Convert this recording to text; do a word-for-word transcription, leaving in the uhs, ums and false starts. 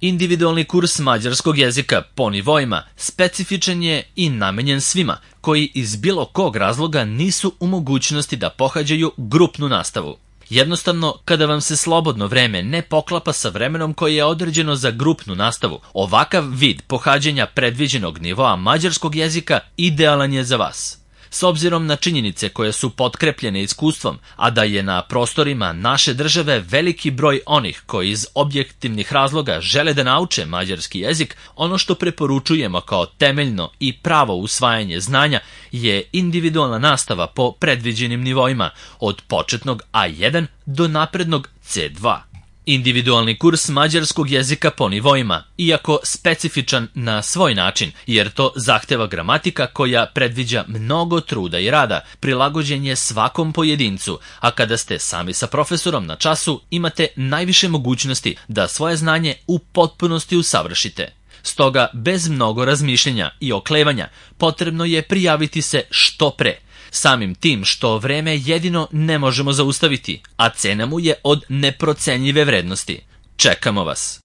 Individualni kurs mađarskog jezika po nivoima specifičan je i namenjen svima koji iz bilo kog razloga nisu u mogućnosti da pohađaju grupnu nastavu. Jednostavno, kada vam se slobodno vreme ne poklapa sa vremenom koje je određeno za grupnu nastavu, ovakav vid pohađanja predviđenog nivoa mađarskog jezika idealan je za vas. S obzirom na činjenice koje su potkrepljene iskustvom, a da je na prostorima naše države veliki broj onih koji iz objektivnih razloga žele da nauče mađarski jezik, ono što preporučujemo kao temeljno i pravo usvajanje znanja je individualna nastava po predviđenim nivoima, od početnog A jedan do naprednog C dva. Individualni kurs mađarskog jezika po nivoima, iako specifičan na svoj način, jer to zahteva gramatika koja predviđa mnogo truda i rada, prilagođen je svakom pojedincu, a kada ste sami sa profesorom na času, imate najviše mogućnosti da svoje znanje u potpunosti usavršite. Stoga, bez mnogo razmišljenja i oklevanja, potrebno je prijaviti se što pre, samim tim što vreme jedino ne možemo zaustaviti, a cena mu je od neprocenjive vrednosti. Čekamo vas!